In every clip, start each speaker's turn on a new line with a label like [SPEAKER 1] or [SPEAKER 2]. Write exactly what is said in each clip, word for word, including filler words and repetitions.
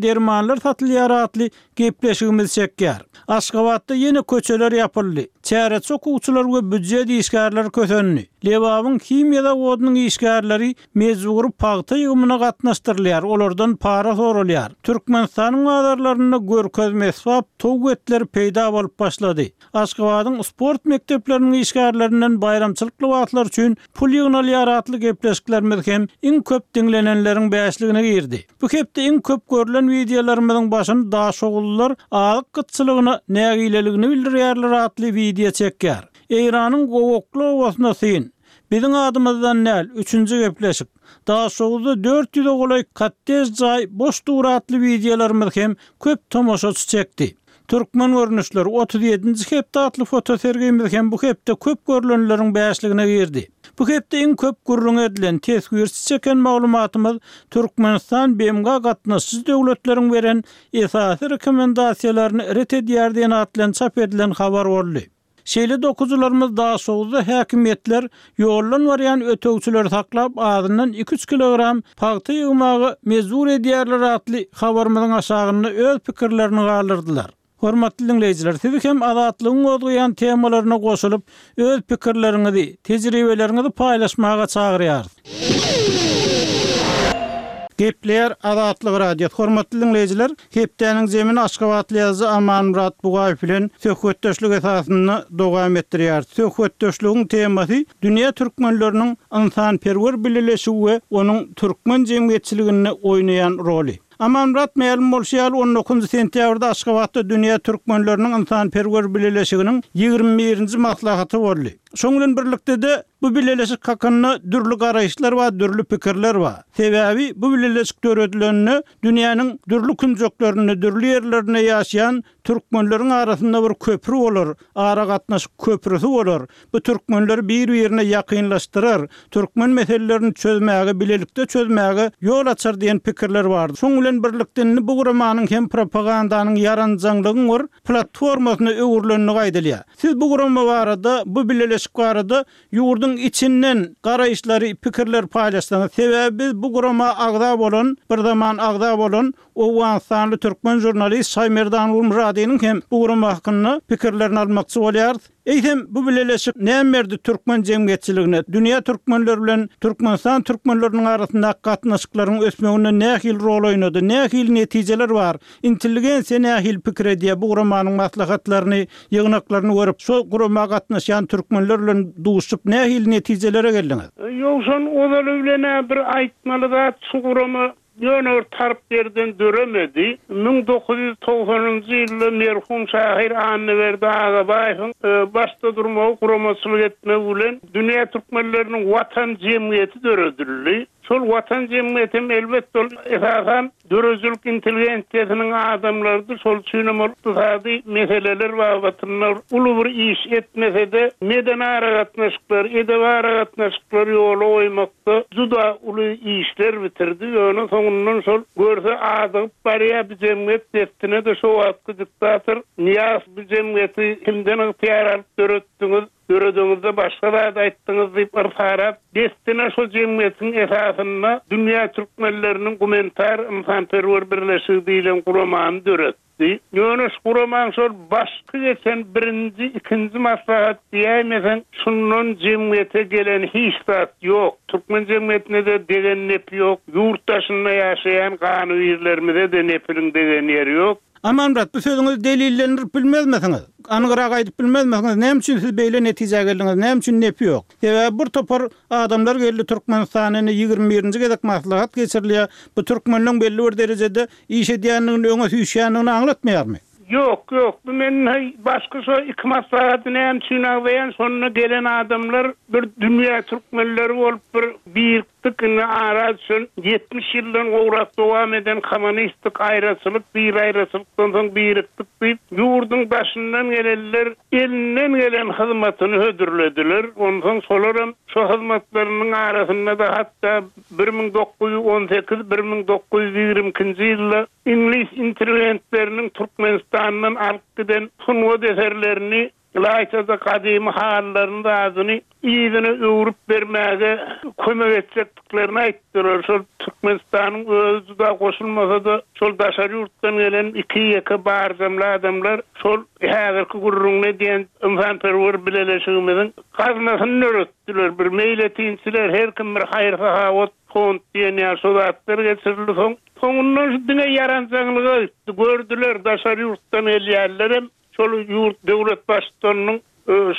[SPEAKER 1] Dermanlar satylýar atly gepleşigimiz çekýär. Aşgabatda ýene köçeler ýapyldy. Çäreçi okuwçylar we býujet işgärleri kösendi. Lebabyň himiýa zawodynyň işgärleri mejbury pagta ýygymyna gatnaşdyrylýar, olardan para soralýar. Türkmenistanyň bazarlarynda görkezme esbap towuk etleri peýda bolup başlady. Aşgabadyň sport mekdepleriniň işgärlerinden baýramçylyk lybaslary üçin pul ýygnalýar atly gepleşiklerimiz hem iň köp diňlenenleriň bäşligine girdi. Bu hepde iň köp görlen wideolarymyzyň başyny daşoguzlylar azyk gytçylygyna nägileligini bildirýärler atly wideo çekýär. Eýranyň gowakly obasyna syn. Biziň adymyzdan däl, üçünji gepleşik. Daşoguzda dört ýüze golaý kottej jaý boş dur atly wideolarymyz hem köp tomaşaçy çekdi. Türkmen görnüşleri otuz ýedinji hepde atly fotosergimiz hem bu hepde köp görlenleriň bäşligine girdi. Bu hepde iň köp gürrüň edilen teswirçi çeken maglumatymyz Türkmenistan B M G gatnaşyjy döwletleriň beren esasy rekomendasiýalaryny ret edýär diýen atly çap edilen habar boldy. Şeýle dokuzylarymyz Daşoguzda häkimiýetler ýoldan barýan ötegçileri saklap azyndan iki üç kilogram pagta ýygmaga mejbur edýärler atly habarymyzyň aşagynda öz pikirlerini galdyrdylar. Hormatly dinleýjiler, sizi hem Azatlygyň gozgaýan temalaryna goşulyp, öz pikirleriňizi, tejribeleriňizi paýlaşmaga çagyrýarys. Gepleýär Azatlyk Radiosy. Hormatly dinleýjiler, hepdäniň zemini Aşgabatly ýazyjy Amanmyrat Bugaýew bilen söhbetdeşlik esasynda dowam etdirýär. Söhbetdeşligiň temasy dünýä türkmenleriniň ynsanperwer bileleşigi we onuň türkmen jemgyýetçiliginde oýnaýan roly. Amanmyrat mälim bolşy ýaly on dokuzynjy sentýabrda Aşgabatda dünýä türkmenleriniň ynsanperwer bileleşiginiň ýigrimi birinji maslahaty boldy. Şoň bilen birlikde-de bu bileleşik hakynda dürli garaýyşlar bar, dürli pikirler bar. Sebäbi bu bileleşik döredileninde dünýäniň dürli künjeklerinde, dürli ýerlerinde ýaşaýan türkmenleriň arasynda bir köprü bolar, aragatnaşyk köprüsü bolar. Bu türkmenleri bir-birine ýakynlaşdyrar, türkmen meselelerini çözmäge, bilelikde çözmäge ýol açar diýen pikirler bardy. Şoň bilen birlikde indi bu guramanyň hem propagandanyň ýaranjaňlygyň bir platformasyna öwrülenligi aýdylýar. Siz bu gurama barada, bu bileleşik barada ýurduň içinden garaýyşlary, pikirler paýlaşsaňyz, sebäbi biz bu gurama agza bolan, bir zaman agza bolan Owganystanly türkmen jurnalist Şaýmerdan Gulmuradynyň hem bu gurama hakynda pikirlerini almakçy bolýarys. Eýsem bu bileleşik näme berdi türkmen jemgyýetçiligine, dünýä türkmenleri bilen Türkmenistan türkmenleriniň arasyndaky gatnaşyklaryň ösmeginde nähili rol oýnady, nähili netijeler bar, intelligensiýa nähili pikir edýär bu guramanyň maslahatlaryny, ýygnaklaryny görüp, şo gurama gatnaşýan türkmenler bilen duşup nähili netijelere geldiňiz?
[SPEAKER 2] Ýowşan ozaly bilen bir aýtmaly zat şu gurama ýöne bir tarp ýerden döremedi. Müň dokuz ýüz togsanynjy ýylda merhum şahyr Annaberdi Agabaýewiň, e, başda durmagy guramaçylyk etmegi bilen dünýä türkmenleriniň watan jemgyýeti döredildi. Şol watan jemgyýeti hem elbetde ol esasan döredijilik intelligensiýasynyň adamlarydy. Şol üçin hem ol ykdysady meseleler babatynda uly bir iş etmese-de medeni aragatnaşyklar, edebi aragatnaşyklar ýola goýmakda juda uly işler bitirdi. Ýöne soňundan şol görse adygyp barýar bu jemgyýet destine-de şo wagtky diktator Niýaz bu jemgyýeti kimden ygtyýar alyp döretdiňiz, döredeňizde başga zat aýtdyňyz diýip yrsarat destine şo jemgyýetiň esasynda dünýä türkmenleriniň gumanitar ynsanperwer birleşigi diýlen guramany döretdi. Ýöne şu guramaň şol başky geçen birinji, ikinji maslahat diýäýmesen, şundan jemgyýete gelen hiç zat ýok. Türkmen jemgyýetine-de degen nepi ýok. Ýurt daşynda ýaşaýan ganybirlerimize-de nepiniň degen ýeri ýok.
[SPEAKER 1] Amanmyrat, bu sözüňizi delillendirip bilmezmisiňiz? Anygyrak aýdyp bilmezmisiňiz? Näme üçin siz beýle netijä geldiňiz? Näme üçin nepi ýok? Sebäbi bir topar adamlar geldi Türkmenistana indi ýigrimi birinji gezek maslahat geçirilýär. Bu türkmenleň belli bir derejede iş edýändigini, öňe süýşýändigini aňlatmaýarmy?
[SPEAKER 2] Ýok, ýok. Bu men hey, başga şo iki maslahaty näme üçin agzaýan? Şonda gelen adamlar bir dünýä türkmenleri bolup bir birikdik, indi ara düşen ýetmiş ýyldan gowrak dowam eden kommunistik aýraçylyk, bir aýraçylykdan soň birikdik diýip, ýurduň daşyndan gelenler elinden gelen hyzmatyny hödürlediler. Ondan şolar hem şo hyzmatlarynyň arasynda da hatda bir müň dokuz ýüz on sekiz, bir müň dokuz ýüz ýigrimi ikinji ýylda İngiliz interwentleriniň Türkmenistandan alyp giden sungat eserlerini, ylaýta-da gadymy halylaryň zadyny yzyna öwrüp bermäge kömek etjekdiklerini aýtdylar. Şol Türkmenistanyň özi juda goşulmasa-da, şol daşary ýurtdan gelen iki ýeke barjamly adamlar şol häzirki gürrüňini edýän ynsanperwer bileleşigimiziň gaznasyny döretdiler. Bir meýletinçiler, her kim bir haýyr-sahawat fond diýen ýaly şo zatlar geçirildi. Soň soňundan şu diňe ýaranjaňlyga gitdi. Gördüler, daşary ýurtdan gelýänlerem şol ýurt döwlet baştutanynyň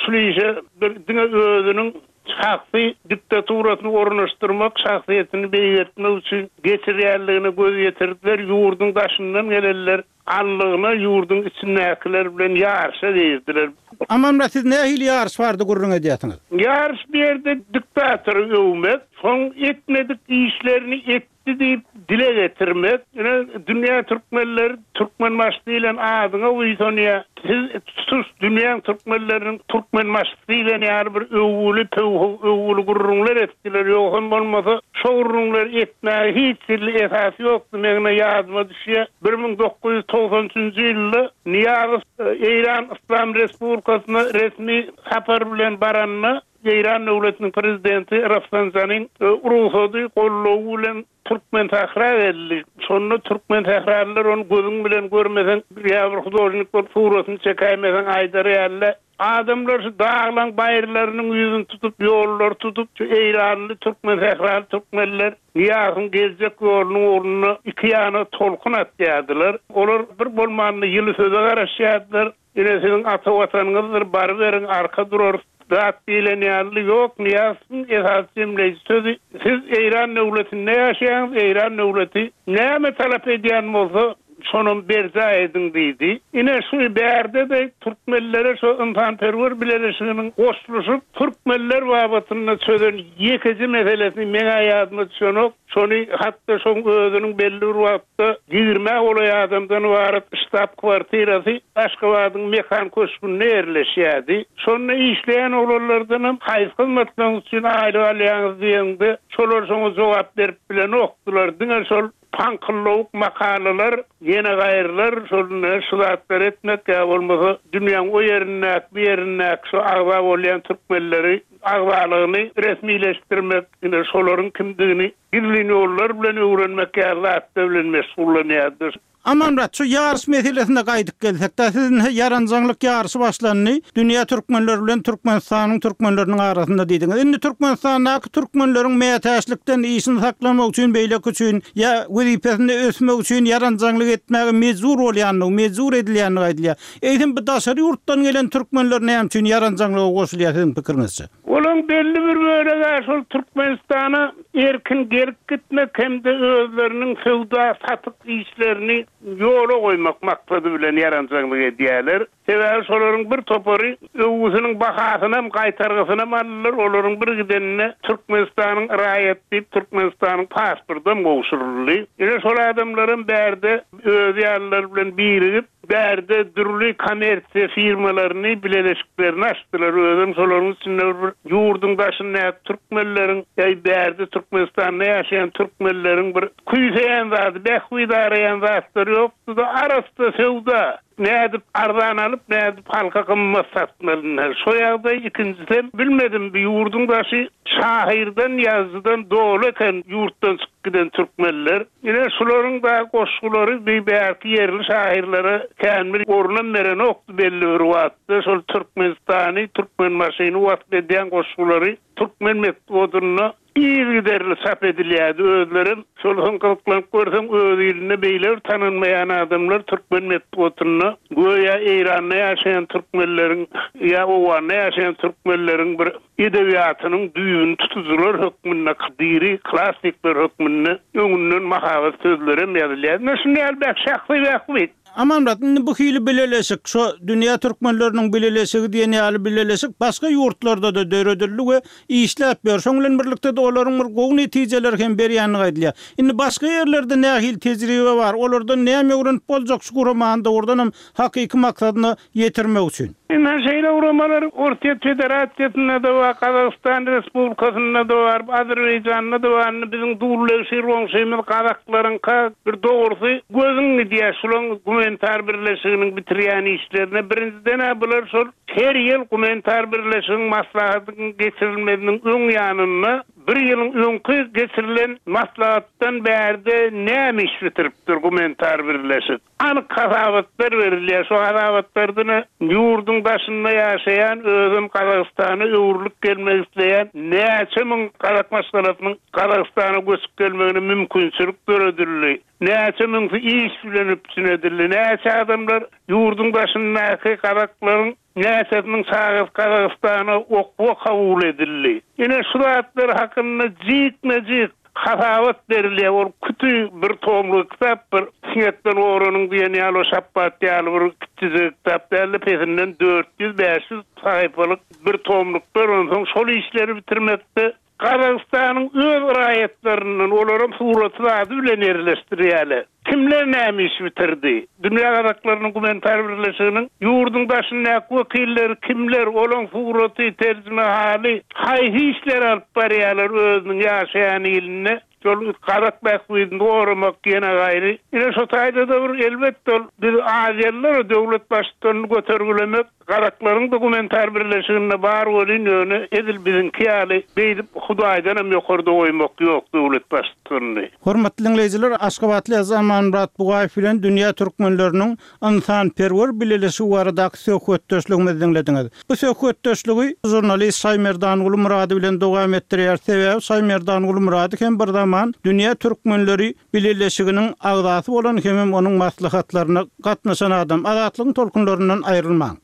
[SPEAKER 2] şul işe bir diňe özüniň şahsy diktaturasyny ornaşdyrmak, şahsyýetini beýgeltmek üçin geçirýänligine göz ýetirdiler. Ýurduň daşyndan gelenler allygyna ýurduň içindäkiler bilen ýaryşa girdiler.
[SPEAKER 1] Amanmyrat, siz nähili ýaryş bardy gürrüň edýärsiňiz?
[SPEAKER 2] Ýaryş bu ýerde diktatory öwmek, soň etmedik işlerini etdi diýip dile getirmek. Ine, dünýä türkmenleri Türkmenbaşy diýlen adyňa buýsanýar. Siz tutuş dünýäň türkmenleriniň Türkmenbaşysy diýlen ýaly bir öwgüli, pöwhüw öwgüli gürrüňler etdiler. Ýogsam bolmasa, şo gürrüňleri etmäge hiç hili esas ýokdy. Meň ine ýadyma düşýär, bir müň dokuz ýüz togsan üçünji ýylda Nyýazow Eýran Yslam Respublikasyna resmi sapar bilen baranda, Eýran döwletiniň prezidenti Rafsanjanyň rugsady, goldawy bilen Türkmensähra geldi. Şonda türkmensähralylar ony gözüň bilen görmeseň, ýa bir hudožnik bolup suratyny çekäýmeseň aýdar ýaly-da. Adamlar şu daglaň baýyrlarynyň ýüzüni tutup, ýollary tutup, şu eýranly, türkmensähraly türkmenler Nyýazowyň geljek ýolunyň ugrunda iki ýana tolkun atýardylar. Olar bir bolmanda ýyly söze garaşýardylar. Ine siziň ata watanyňyzdyr, baryberiň, arka durarys zat diýlen ýaly. Ýok, Nyýazowyň esasy jemleýji sözi, Siz Eýran döwletinde ýaşaýaňyz, Eýran döwleti näme talap edýän bolsa, şonam berjaý ediň diýdi. Ine şu bärde-de türkmenlere şu ynsanperwer bileleşiginiň goşluşyp, türkmenler babatynda çözen ýekeje meselesini meň-ä ýadyma düşenok. Şony hatda şoň özüniň belli bir wagtda ýigrimä golaý adamdan ybarat ştab kwartirasy Aşgabadyň Mekan köşgünde ýerleşýärdi. Şonda işleýän oglanlardanam haýsy hyzmatlaryňyz üçin aýlyk alýaňyz diýeňde, şolar şoňa jogap berip bilenokdylar. Diňe şol paňkyllawuk makalalar, ýene gaýrylar şol ine şu zatlary etmek ýa bolmasa dünýäň o ýerindäki, bu ýerindäki şu agza bolýan türkmenleri agzalygyny resmileşdirmek, ine şolaryň kimdigini gizlin ýollar bilen öwrenmek ýaly zatlar bilen meşgullanýardy.
[SPEAKER 1] Amanmyrat, şu ýaryş meselesine gaýdyp gelsek-de, siz indi ýaranjaňlyk ýaryşy başlandy, dünýä türkmenleri bilen Türkmenistanyň türkmenleriniň arasynda diýdiňiz. Indi Türkmenistandaky türkmenleriň mätäçlikden işini saklamak üçin, beýleki üçin ýa wezipesinde ösmek üçin ýaranjaňlyk etmäge mejbur bolýandygy, mejbur edilýändigi aýdylýar. Eýsem, bu daşary ýurtdan gelen türkmenler näme üçin ýaranjaňlyga goşulýar siziň pikiriňizçe?
[SPEAKER 2] Olaň belli bir bölegi-ä şol Türkmenistana erkin gelip-gitmek hem-de özleriniň söwda-satyk işlerini ýola goýmak maksady bilen ýaranjaňlyk edýärler. Sebäbi şolaryň bir topary öwgüsiniň bahasynam, gaýtargysynam aldylar, olaryň bir gidenine Türkmenistanyň raýaty diýip Türkmenistanyň pasportam gowşuryldy. Ine şol adamlaram bärde özi ýalylar bilen birigip, bärde dürli kommersiýa firmalaryny, bileleşiklerini açdylar. Özem şolaryň içinde bir ýurduň daşyndaky türkmenleriň, ýa bärde Türkmenistanda ýaşaýan türkmenleriň bir küýseýän zady, bähbit araýan zatlary ýokdy-da, arassa söwda. Nädip arzan alyp, nädip halka gymmat satmaly ine. Şo ýagdaý ikinjisem, bilmedim, bu ýurduň daşy şahyrdan, ýazyjydan doly eken ýurtdan çykyp giden türkmenler. Ine, şularyň da goşgulary bi bärki ýerli şahyrlara kän bir orunam berenokdy belli bir wagtda. Şol Türkmenistany, Türkmenbaşyny wasp edýän goşgulary türkmen metbugatynda yzygiderli çap edilýärdi. Özlerem şol soň gyzyklanyp görseň öz ilinde beýle bir tanalmaýan adamlar türkmen metbugatynda göýä Eýranda ýaşaýan türkmenleriň ýa Owganda ýaşaýan türkmenleriň bir edebiýatynyň düýbüni tutujylar hökmünde, diri klassikler hökmünde öňünden mahabat sözlerem ýazylýar. Ine şuny ýaly bäh şahsy bähbit.
[SPEAKER 1] Amanmyrat, indi bu hili bileleşik, şo Dünýä türkmenleriniň bileleşigi diýen ýaly bileleşik başga ýurtlarda-da döredildi we işläp ýör. Şoň bilen birlikde-de olaryň bir gowy netijeleri hem berýändigi aýdylýar. Indi başga ýerlerde nähili tejribe bar, olardan näme öwrenip boljak şu guramany dogrudanam hakyky maksadyna ýetirmek üçin?
[SPEAKER 2] Ine, şeýle guramalar Orsýet Federasiýasynda-da bar, Gazagystan Respublikasynda-da bar, Azerbaýjanda-da bar. Indi biziň dullegşir goňşymyz gazaklaryňka bir dogrusy gözüň gidýär, şulaň Gumanitar Birleşiginiň bitirýän işlerine. Birinjiden bular şol her ýyl Gumanitar Birleşiginiň maslahatynyň geçirilmeginiň öň ýanynda bir ýylyň öňki geçirilen maslahatdan bärde näme iş bitiripdir Gumanitar Birleşik. Anyk hasabatlar berilýär. Şu hasabatlardan ýurduň daşynda ýaşaýan özüm Gazagystana öwrülip gelmek isleýän näçe müň gazak maşgalasynyň Gazagystana göçüp gelmegine mümkinçilik döredildi. Näçe müňsi iş bilen üpjün edildi. Näçe adamlar ýurduň daşyndaky gazaklaryň näçesiniň çagasy Gazagystana okuwa kabul edildi. Ine şu zatlar hakynda jikme-jik hasabat berilýär. Ol kütü bir tomluk kitap bir siňekden oranyn diýen ýaly şapbat ýaly bir kiçijik kitap däldi. Pesinden dört ýüz bäş ýüz sahypalyk bir tomluklar onsoň şol işleri bitirmekde Gazagystanyň öz raýatlaryndan olaryň suraty ady bilen ýerleşdirýärler. Kimler näme iş bitirdi? Dünýä Gazaklarynyň Gumanitar Birleşiginiň ýurduň daşyndaky wekilleri kimler, olaryň suraty, terjime haly, haýsy işler alyp barýarlar özüniň ýaşaýan ilinde? Şol gazak bähbidini goramak ýene gaýry. Ine şu taýda da bir elbetde ol biz Aziýalylar döwlet baştutanyny götergilemek Gazaklaryň da Gumanitar Birleşiginde bar bolyn ýöne edil biziňki ýaly beýdip Hudaýdan hem ýokarda goýmak ýok döwlet baştutanyny.
[SPEAKER 1] Hormatly dinleýjiler, Aşgabatly ýazyjy Amanmyrat Bugaýew bilen dünýä türkmenleriniň ynsanperwer bileleşigi baradaky söhbetdeşligimizi dinlediňiz. Bu söhbetdeşligi žurnalist Şaýmerdanguly Murady bilen dowam etdirýär. Sebäbi Şaýmerdanguly Murady hem bir zaman dünýä türkmenleri bileleşiginiň agzasy bolan hem onuň maslahatlaryna gatnaşan adam. Azatlygyň tolkunlaryndan aýrylmaň.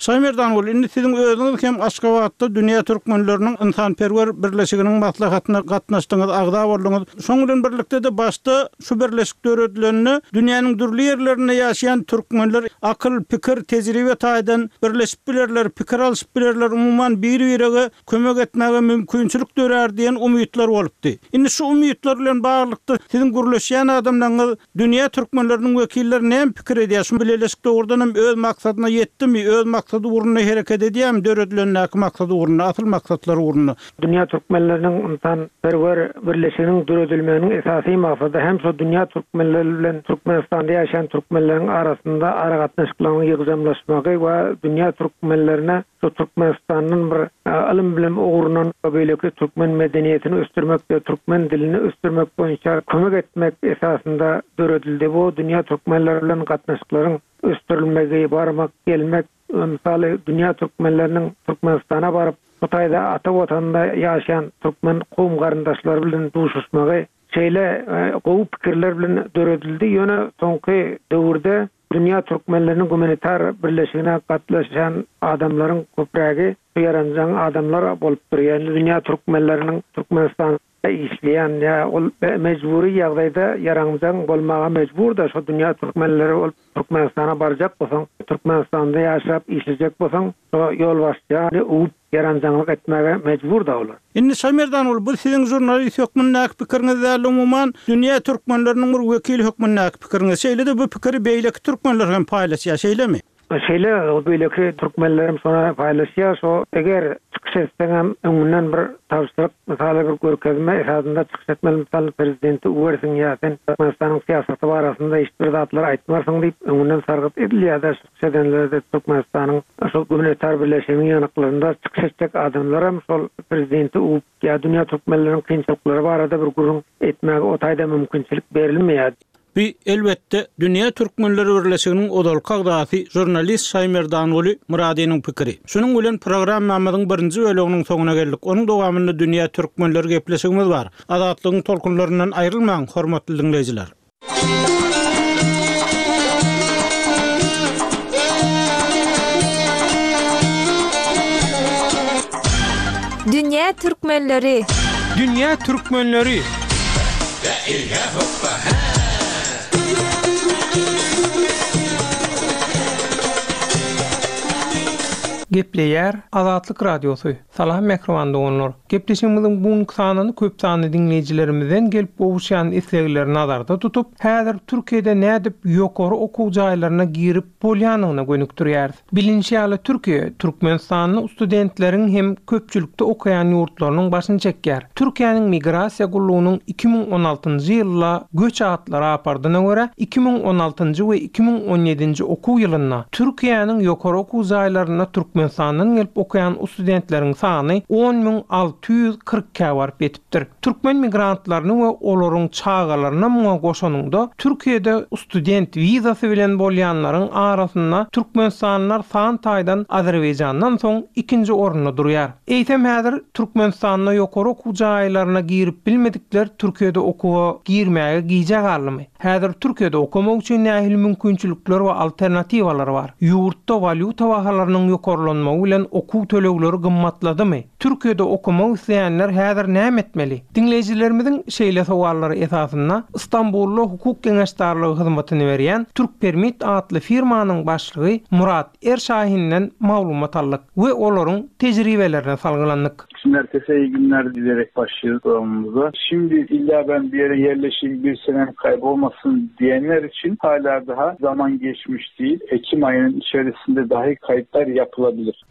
[SPEAKER 1] Şaýmerdanguly, indi siziň özüňiz hem Aşgabatda dünýä türkmenleriniň ynsanperwer birleşiginiň maslahatyna gatnaşdyňyz, agza bolduňyz. Şoň bilen birlikde de başda şu birleşik döredileninde dünýäniň dürli ýerlerinde ýaşaýan türkmenler akyl, pikir, tejribe taýdan birleşip bilerler, pikir alyşyp bilerler, umuman bir-birege kömek etmäge mümkinçilik dörer diýen umytlar bolupdy. Indi şu umytlar bilen baglylykda siziň gürleşýän adamlaryňyz dünýä türkmenleriniň wekilleri näme pikir edýär? Şu birleşik dogrudan hem öz maksadyna ýetdimi, öz maksady ugrunda hereket edýärmi, döredilendäki maksady ugrunda, asyl maksatlar ugrunda?
[SPEAKER 3] Dünýä türkmenleriniň ynsanperwer birleşiginiň döredilmeginiň esasy maksady hem şu dünýä türkmenleri bilen Türkmenistanda ýaşaýan türkmenleriň arasynda aragatnaşyklaryň ýygjamlaşmagy we dünýä türkmenlerine şu Türkmenistandan bir ylym bilim ugrundan beýleki türkmen medeniýetini ösdürmek we türkmen dilini ösdürmek boýunça kömek etmek esasynda döredildi. Bu dünýä türkmenleri bilen gatnaşyklaryň ösdürilmegi, barmak, gelmek, mysaly dünýä türkmenleriniň Türkmenistana baryp, bu taýda ata watanda ýaşaýan türkmen kowum garyndaşlary bilen duşuşmagy şeýle gowy pikirler bilen döredildi. Ýöne soňky döwürde dünýä türkmenleriniň gumanitar birleşigine gatnaşan adamlaryň köprägi ýaranjaň adamlar bolup durýar. Ýani dünýä türkmenleriniň Türkmenistan işleýän ýa ol mejbury ýagdaýda ýaranjaň bolmaga mejbur da şu dünýä türkmenleri bolup Türkmenistana barjak bolsaň, Türkmenistanda ýaşap işlejek bolsaň, şo ýolbaşçy uwup ýaranjaňlyk etmäge mejbur da olar.
[SPEAKER 1] Indi Şaýmerdanguly, bu siziň žurnalist hökmündäki pikiriňiz däl, umuman dünýä türkmenleriniň bir wekili hökmündäki pikiriňiz. Şeýle-de bu pikiri beýleki türkmenler hem paýlaşýar, şeýlemi?
[SPEAKER 3] Şeýle, o beýleki türkmenlerim şona paýlaşýar. Şo eger çykyş etseň hem öňünden bir tabşyryk, mysaly bir görkezme esasynda çykyş etmeli, mysaly prezidenti uwersiň ýa sen Türkmenistanyň syýasaty barasynda hiç bir zatlar aýtmarsyň diýip öňünden sargyt edilýär da çykyş edenlerde Türkmenistanyň şol gumanitar birleşiginiň ýanaklarynda çykyş etjek adamlar hem şol prezidenti uwup ýa dünýä türkmenleriniň kynçylyklary barada bir gürrüň etmäge o taýda mümkinçilik berilmeýär.
[SPEAKER 1] Bu elbetde Dünýä Türkmenleri Birleşiginiň ozalky agzasy žurnalist Şaýmerdanguly Muradynyň pikiri. Şunuň bilen programmamyzyň birinji bölüminiň soňuna geldik. Onuň dowamynda Dünýä Türkmenleri gepleşigimiz bar. Azatlygyň tolkunlaryndan aýrylmaň, hormatly dinleýjiler.
[SPEAKER 4] Dünýä Türkmenleri.
[SPEAKER 5] Dünýä Türkmenleri. Gepleýär Azatlyk Radiosy. Salam mähriban doganlar. Gepleşigimiziň bu sanyny köp sanly diňleýjilerimizden gelip gowuşýan islegleri nazarda tutup, häzir Türkiýede nädip ýokary okuw jaýlaryna girip bolýanyna gönükdirýäris. Bilinçi ýaly Türkiýe Türkmenistanly studentleriň hem köpçülikde okaýan ýurtlarynyň başyny çekýär. Türkiýäniň migrasiýa gullugynyň iki müň on altynjy ýylda göç atly raportyna görä iki müň on altynjy we iki müň on ýedinji okuw ýylynda Türkiýäniň ýokary okuw jaýlarynda Türkmenistandan gelip okaýan studentleriň sany on müň alty ýüz kyrk ikä baryp ýetipdir. Türkmen migrantlaryny we olaryň çagalaryna muňa goşanynda Türkiýede student wizasy bilen bolýanlaryň arasynda Türkmenistanlylar san taýdan Azerbaýjandan soň ikinji orunda durýar. Eýsem häzir Türkmenistanda ýokary okuw jaýlaryna girip bilmedikler Türkiýede okuwa girmäge gijä galdymy? Häzir Türkiýede okamak üçin nähili mümkinçilikler we alternatiwalar bar? Ýurtda walýuta bahalarynyň ýokarlanmagy bilen okuw tölegleri gymmatladymy? Türkiýede okamak isleýänler häzir näme etmeli? Diňleýjilerimiziň şeýle sowallary esasynda Istanbulda hukuk geňeşdarlygy hyzmatyny berýän Türk Permit atly firmanyň başlygy Murat Erşahinden maglumat aldyk we olaryň tejribelerine salgylandyk.
[SPEAKER 6] Şimdi herkese iyi günler dileyerek başlıyoruz programımıza. Şimdi illa ben bir yere yerleşeyim, bir senem kaybolmasın diyenler için hala daha zaman geçmiş değil. Ekim ayının içerisinde dahi kayıtlar yapılabilir.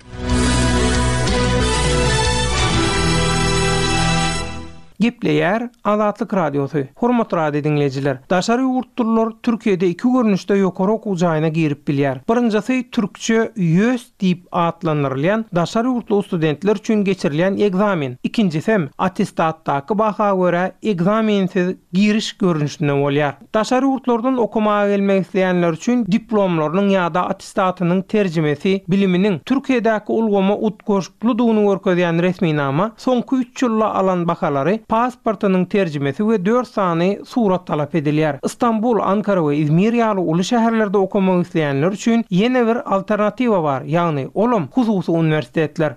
[SPEAKER 5] Gepleýär Azatlyk Radiosy. Hormatly radio diňleýjiler, daşary ýurtlular Türkiýede iki görnüşde ýokary okuw jaýyna girip bilýär. Birinjisi türkçe YÖS diýip atlandyrylýan daşary ýurtly studentler üçin geçirilýän ekzamen. Ikinjisi hem attestatdaky baha görä ekzamensiz giriş görnüşinde bolýar. Daşary ýurtlardan okamaga gelmek isleýänler üçin diplomlarynyň ýa-da attestatynyň terjimesi, biliminiň Türkiýedäki ulgama utgaşyklydygyny görkezýän resminama, soňky üç ýylda alan bahalary, pasportynyň terjimesi we dört sany surat talap edilýär. Istanbul, Ankara we Izmir ýaly uly şäherlerde okamak isleýänler üçin ýene bir alternatiwa bar, ýagny olam hususy uniwersitetler.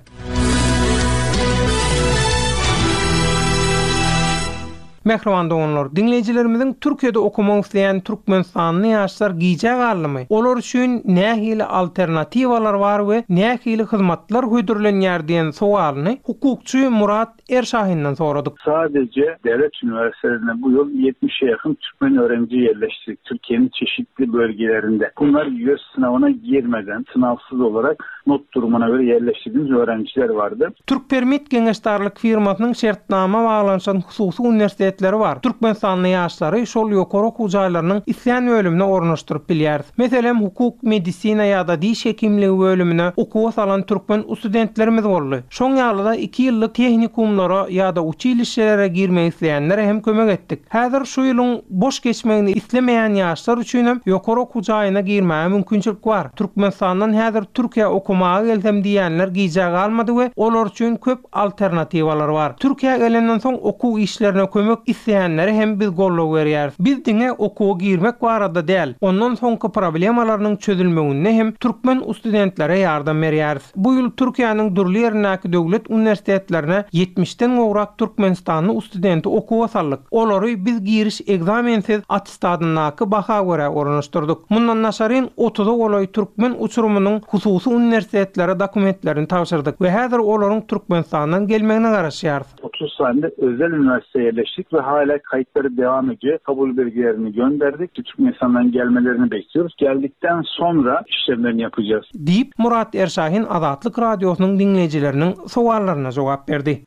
[SPEAKER 5] Mähriban doganlar, diňleýjilerimiziň Türkiýede okamak isleýän Türkmenistanly ýaşlar gijä galdymy? Olar üçin nähili alternatiwalar bar we nähili hyzmatlar hödürlenýär diýen sowalyny hukukçy Murat Erşahinden soradyk.
[SPEAKER 6] Sadece devlet üniversitelerine bu yıl yetmişe yakın Türkmen öğrenci yerleştirdik Türkiye'nin çeşitli bölgelerinde. Bunlar YÖS sınavına girmeden sınavsız olarak not durumuna göre yerleştirdiğimiz öğrenciler vardı.
[SPEAKER 5] Türk Permit Geňeşdarlyk firmasynyň şertnama baglanşan hususy uniwersitetleri bar. Türkmenistanly ýaşlary şol ýokary okuw jaýlarynyň isleýän bölümine ornaşdyryp bilýäris. Meselem, hukuk, medisina ýa-da diş hekimligi bölümine okuwa salan türkmen studentlerimiz boldy. Şoň ýaly-da iki ýyllyk tehnikumlara ýa-da uçilişelere girmek isleýänlere hem kömek etdik. Häzir şu ýylyň boş geçmegini islemeýän ýaşlar üçin hem ýokary okuw jaýyna girmäge mümkinçilik bar. Türkmenistandan häzir Türkiýä okamaga gelsem diýenler gijä galmady we olar üçin köp alternatiwalar bar. Türkiýä gelenden soň okuw işlerine kömek isleýänlere hem biz goldaw berýäris. Biz diňe okuwa girmek barada däl, ondan soňky problemalarynyň çözülmeginde hem türkmen studentlere ýardam berýäris. Bu ýyl Türkiýäniň dürli ýerindäki döwlet uniwersitetlerine ýetmişden gowrak Türkmenistanly studenti okuwa saldyk. Olary biz giriş ekzamensiz attestadyndaky baha görä ornaşdyrdyk. Mundan daşaryn otuza golaý türkmen uçurumynyň hususy uniwersitetlere dokumentlerini tabşyrdyk we häzir olaryň Türkmenistandan gelmegine garaşýarys.
[SPEAKER 6] otuz saniýede özel üniversiteye yerleştik ve hala kayıtları devam ediyor. Kabul belgelerini gönderdik. Türkmenistan'dan gelmelerini bekliyoruz. Geldikten sonra işlemlerini yapacağız.
[SPEAKER 5] Deyip Murat Erşahin Azatlyk Radiosynyň dinleýjileriniň sowallaryna jogap berdi.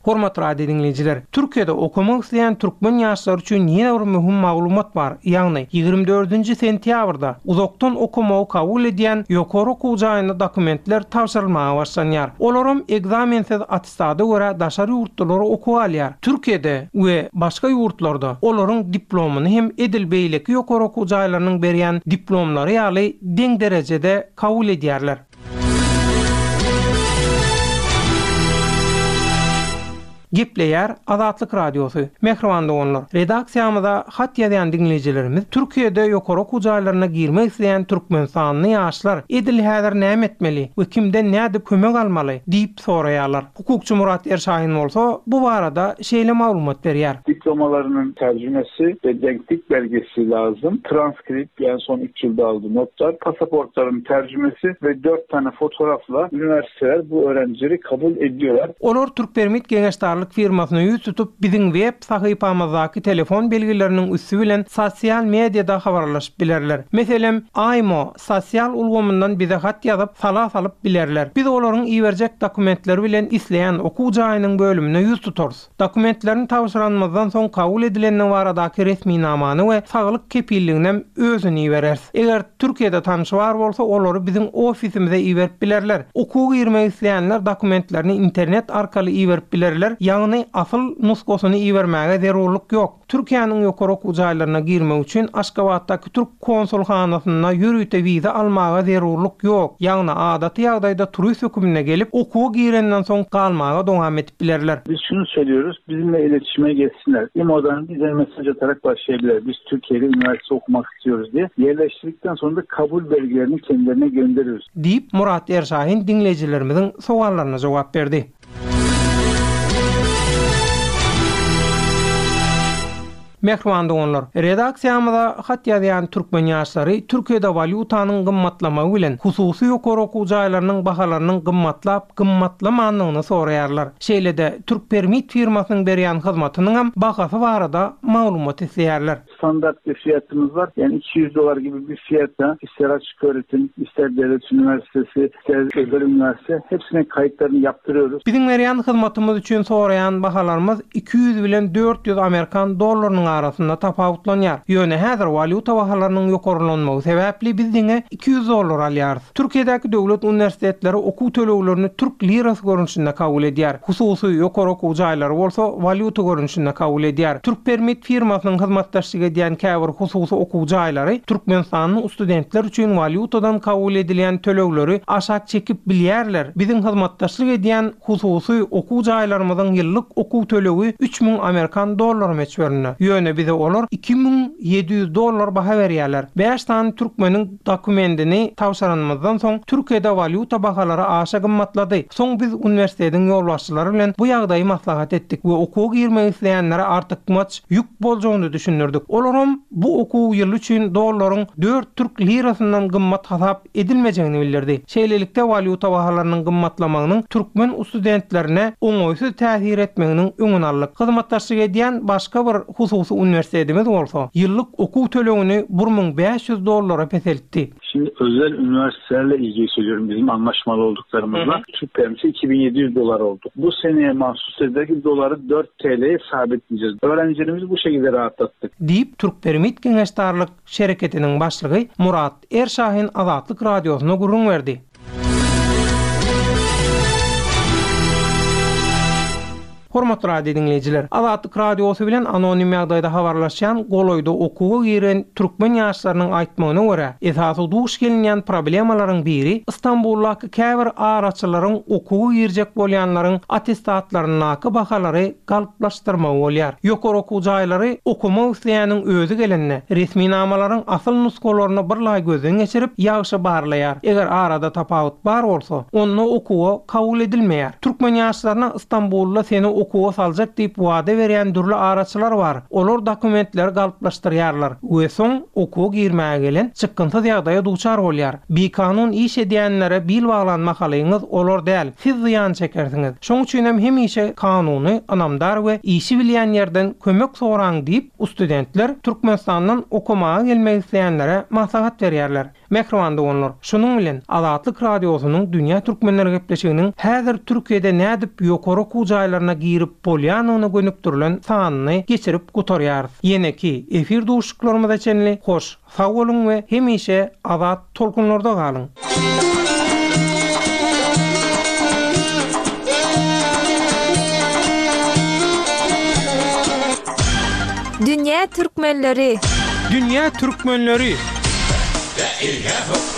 [SPEAKER 5] Hormatly radio dinleýjiler, Türkiýede okamak isleýän türkmen ýaşlary üçin ýene bir möhüm maglumat bar. Ýagny ýigrimi dördünji sentýabrda uzakdan okamagy kabul edýän ýokary okuw jaýynda dokumentler tabşyrylmaga başlanýar. Olaram ekzamensiz attestada görä daşary ýurtlulara okuw alýar. Türkiýede we başga ýurtlarda olaryň diplomyny hem edil beýleki ýokary okuw jaýlarynyň berýän diplomlary ýaly deň derejede kabul edýärler. Gepleýär Azatlyk Radiosy. Mähriban doganlar, redaksiýamyza hat ýazýan dinleýjilerimiz Türkiýede ýokary okuw jaýlaryna girmek isleýän Türkmenistanly ýaşlar edil häzir näme etmeli we kimden nädip kömek almaly diýip soraýarlar. Hukukçy Murat Erşahin bolsa bu barada şeýle maglumat berýär.
[SPEAKER 6] Diplom Diplomalarının tercümesi ve denklik belgesi lazım. Transkript yani son üç yılda aldığı notlar, pasaportların tercümesi ve dört tane fotoğrafla üniversiteler bu öğrencileri kabul ediyorlar.
[SPEAKER 5] Olar Türkpermit Geňeşdarlyk firmasyna ýüz tutup biziň web sahypamyzdaky telefon belgileriniň üsti bilen sosial mediada habarlaşyp bilerler. Meselem, Aymo sosial ulgamyndan bize hat ýazyp sala salyp bilerler. Biz olaryň iberjek dokumentleri bilen isleýän okuw jaýynyň bölümine ýüz tutarys. Dokumentlerini tabşyranymyzdan soň kabul edilenine baradaky resminamany we saglyk kepilliginem özüni ibereris. Eger Türkiýede tanşy bar bolsa, olary biziň ofisimize iberip bilerler. Okuw girmek isleýänler dokumentlerini internet arkaly iberip bilerler, ýagny asyl nuskosyny ibermäge zerurlyk ýok. Türkiýäniň ýokary okuw jaýlaryna girmek üçin Aşgabatdaky Türk konsulhanasynda ýörite wiza almaga zerurlyk ýok. Ýagny adaty ýagdaýda turist hökümine gelip okuwa girenden soň galmaga dowam edip bilerler.
[SPEAKER 6] Biz şunu söylüyoruz, bizimle iletişime geçsinler. İMO'dan bize mesaj atarak başlayabilirler. Biz Türkiye'de üniversite okumak istiyoruz diye. Yerleştirdikten sonra da kabul belgelerini kendilerine gönderiyoruz.
[SPEAKER 5] Diýip Murat Erşahin diňleýjilerimiziň sowallaryna jogap berdi. Mähriban doganlar, redaksiýamyza hat ýazýan türkmen ýaşlary Türkiýede walýutanyň gymmatlamagy bilen hususy ýokary okuw jaýlarynyň bahalarynyň gymmatlap gymmatlamandygyny soraýarlar. Şeýle-de Türkpermit firmasynyň berýän hyzmatynyň hem bahasy barada maglumat isleýärler.
[SPEAKER 6] Standart bir fiyatımız var. Yani iki yüz dolar gibi bir fiyata ister açık öğretim, ister devlet üniversitesi, ister özel üniversite hepsine kayıtlarını yaptırıyoruz.
[SPEAKER 5] Biziň berýän hyzmatymyz üçin soraýan bahalarymyz iki ýüz bilen dört ýüz Amerikan dollarynyň arasynda tapawutlanýar. Ýöne häzir walýuta bahalarynyň ýokarlanmagy sebäpli biz diňe iki ýüz dollar alýarys. Türkiýedäki döwlet uniwersitetleri okuw töleglerini türk lirasy görnüşinde kabul edýär. Hususy ýokary okuw jaýlary bolsa walýuta görnüşinde kabul edýär. Türkpermit firmasynyň hyzmatdaşlyk edýän käbir hususy okuw jaýlary Türkmenistanyň studentler üçin walýutadan kabul edilýän tölegleri aşak çekip bilýärler. Biziň hyzmatdaşlyk edýän hususy okuw jaýlarymyzyň ýyllyk okuw tölegi üç müň Amerikan dollary möçberinde. Ýöne bize olar iki müň ýedi ýüz dollar baha berýärler. Bäş sany türkmeniň dokumentini tabşyranymyzdan soň Türkiýede walýuta bahalary aşa gymmatlady. Soň biz uniwersitetiň ýolbaşçylary bilen bu ýagdaýy maslahat etdik we okuwa girmek isleýänlere artykmaç ýük boljagyny düşündirdik. Olaram bu okuw ýyly üçin dollaryň dört türk lirasyndan gymmat hasap edilmejegini bildirdi. Şeýlelikde walýuta bahalarynyň gymmatlamagynyň türkmen studentlerine oňaýsyz täsir etmeginiň öňüni aldyk. Hyzmatdaşlyk edýän başga bir hususy uniwersitetimiz bolsa, ýyllyk okuw tölegini bir müň bäş ýüz dollara peseltdi.
[SPEAKER 6] Şimdi özel üniversitelerle ilgili söylüyorum, bizim anlaşmalı olduklarımızla.
[SPEAKER 5] Hı hı.
[SPEAKER 6] Türk permisi iki bin yedi yüz dolar oldu. Bu seneye mahsus ederek doları dört T L'ye sabitleyeceğiz. Öğrencilerimizi bu şekilde rahatlattık.
[SPEAKER 5] Deyip Türkpermit Geňeşdarlyk şereketiniň başlygy Murat Erşahin Azatlyk Radiosyna gürrüň berdi. Hormatly radio dinleýjiler, Azatlyk Radiosy bilen anonim ýagdaýda habarlaşýan golaýda okuwa giren türkmen ýaşlarynyň aýtmagyna görä, esasy duş gelinýän problemalaryň biri Istanbuldaky käbir araçylaryň okuwa girjek bolýanlaryň attestatlaryndaky bahalary galplaşdyrmagy bolýar. Ýokary okuw jaýlary okumak isleýäniň özi gelende resminamalaryň asyl nuskalaryny bir laý gözden geçirip ýagşy barlaýar. Eger arada tapawut bar bolsa, onda okuwa kabul edilmeýär. Türkmen ýaşlaryna Istanbulda seni okuwa saljak diýip wada berýän dürli araçylar bar. Olar dokumentleri galplaşdyrýarlar we soň okuwa girmäge gelen çykgynsyz ýagdaýa duçar bolýar. Bikanun iş edýänlere bil baglan mahalyňyz olar däl, siz zyýan çekersiňiz. Şoň üçin hem hemişe kanuny, ynamdar we işi bilýän ýerden kömek soraň diýip studentler Türkmenistandan okumaga gelmek isleýänlere maslahat berýärler. Mähriban doganlar, şunuň bilen Azatlyk Radiosynyň Dünýä Türkmenleri gepleşiginiň häzir Türkiýede nädip ýokary okuw jaýlaryna girip bolýanyny gönükdirilen sanyny geçirip gutarýarys. Ýeneki efir duşuşyklarymyza çenli hoş, sag boluň we hemişe azat tolkunlarda galyň.
[SPEAKER 4] Dünýä Türkmenleri.
[SPEAKER 5] Dünýä Türkmenleri.
[SPEAKER 7] La ilaha